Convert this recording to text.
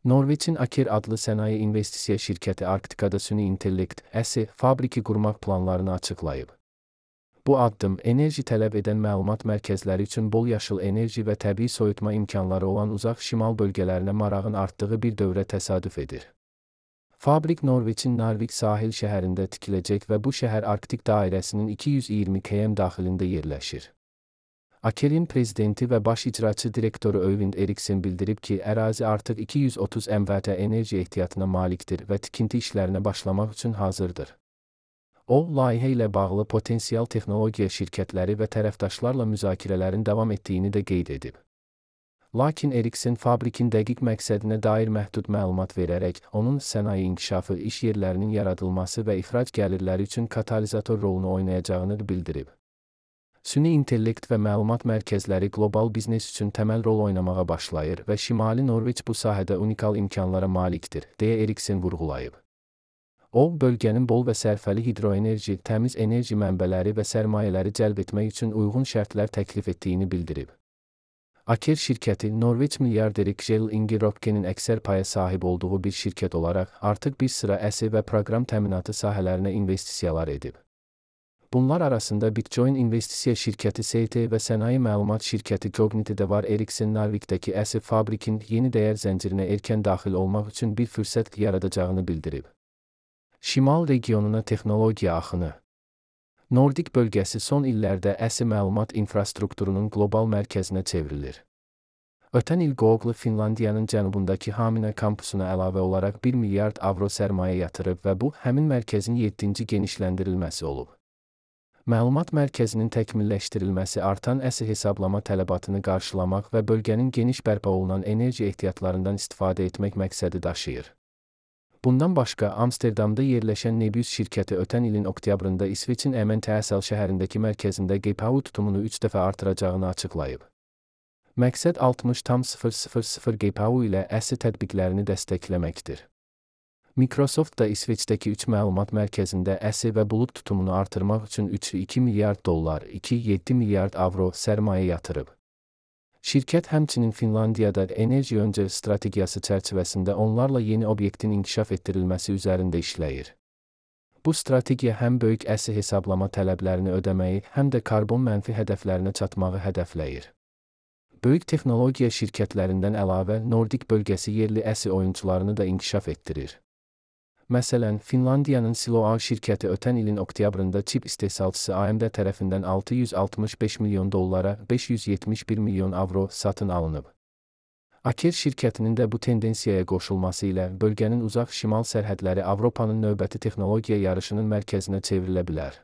Norveçin Aker adlı sənaye investisiya şirkəti Arktikada süni intellekt (əsi) fabriki qurmaq planlarını açıqlayıb. Bu addım, enerji tələb edən məlumat mərkəzləri üçün bol yaşıl enerji və təbii soyutma imkanları olan uzaq şimal bölgələrinə marağın artdığı bir dövrə təsadüf edir. Fabrik Norveçin Narvik sahil şəhərində tikiləcək və bu şəhər Arktik dairəsinin 220 km daxilində yerləşir. Aker'in prezidenti və baş icraçı direktoru Øyvind Eriksen bildirib ki, ərazi artıq 230 MW enerji ehtiyatına malikdir və tikinti işlərinə başlamaq üçün hazırdır. O, layihə ilə bağlı potensial texnologiya şirkətləri və tərəfdaşlarla müzakirələrin davam etdiyini də qeyd edib. Lakin Eriksen fabrikin dəqiq məqsədinə dair məhdud məlumat verərək, onun sənaye inkişafı, iş yerlərinin yaradılması və ixrac gəlirləri üçün katalizator rolunu oynayacağını bildirib. Süni intellekt və məlumat mərkəzləri qlobal biznes üçün təməl rol oynamağa başlayır və Şimali Norveç bu sahədə unikal imkanlara malikdir, deyə Eriksen vurğulayıb. O, bölgənin bol və sərfəli hidroenerji, təmiz enerji mənbələri və sərmayələri cəlb etmək üçün uyğun şərtlər təklif etdiyini bildirib. Aker şirkəti, Norveç milyarderi Kjell Inge Røpke'nin əksər paya sahib olduğu bir şirkət olaraq, artıq bir sıra əsi və proqram təminatı sahələrinə investisiyalar edib. Bunlar arasında Bitcoin investisiya şirkəti ST və sənaye məlumat şirkəti Cognite də var. Eriksen Narvikdəki əsi fabrikin yeni dəyər zəncirinə erkən daxil olmaq üçün bir fürsət yaradacağını bildirib. Şimal regionuna texnologiya axını. Nordik bölgəsi son illərdə əsi məlumat infrastrukturunun qlobal mərkəzinə çevrilir. Ötən il Google Finlandiyanın cənubundakı Hamina kampusuna əlavə olaraq 1 milyard avro sərmayə yatırıb və bu, həmin mərkəzin 7-ci genişləndirilməsi olub. Məlumat mərkəzinin təkmilləşdirilməsi artan əsi hesablama tələbatını qarşılamaq və bölgənin geniş bərpa olunan enerji ehtiyatlarından istifadə etmək məqsədi daşıyır. Bundan başqa, Amsterdamda yerləşən Nebius şirkəti ötən ilin oktyabrında İsveçin Emmental şəhərindəki mərkəzində GPU tutumunu 3 dəfə artıracağını açıqlayıb. Məqsəd 60,000 GPU ilə əsi tətbiqlərini dəstəkləməkdir. Microsoft da İsveçdəki 3 məlumat mərkəzində əsi və bulud tutumunu artırmaq üçün 3,2 milyard dollar, 2,7 milyard avro sərmayə yatırıb. Şirkət həmçinin Finlandiyada enerji öncə strategiyası çərçivəsində onlarla yeni obyektin inkişaf etdirilməsi üzərində işləyir. Bu strategiya həm böyük əsi hesablama tələblərini ödəməyi, həm də karbon mənfi hədəflərinə çatmağı hədəfləyir. Böyük texnologiya şirkətlərindən əlavə Nordik bölgəsi yerli əsi oyunçularını da inkişaf etdirir. Məsələn, Finlandiyanın Siloam şirkəti ötən ilin oktyabrında çip istehsalçısı AMD tərəfindən 665 milyon dollara 571 milyon avro satın alınıb. Aker şirkətinin də bu tendensiyaya qoşulması ilə bölgənin uzaq şimal sərhədləri Avropanın növbəti texnologiya yarışının mərkəzinə çevrilə bilər.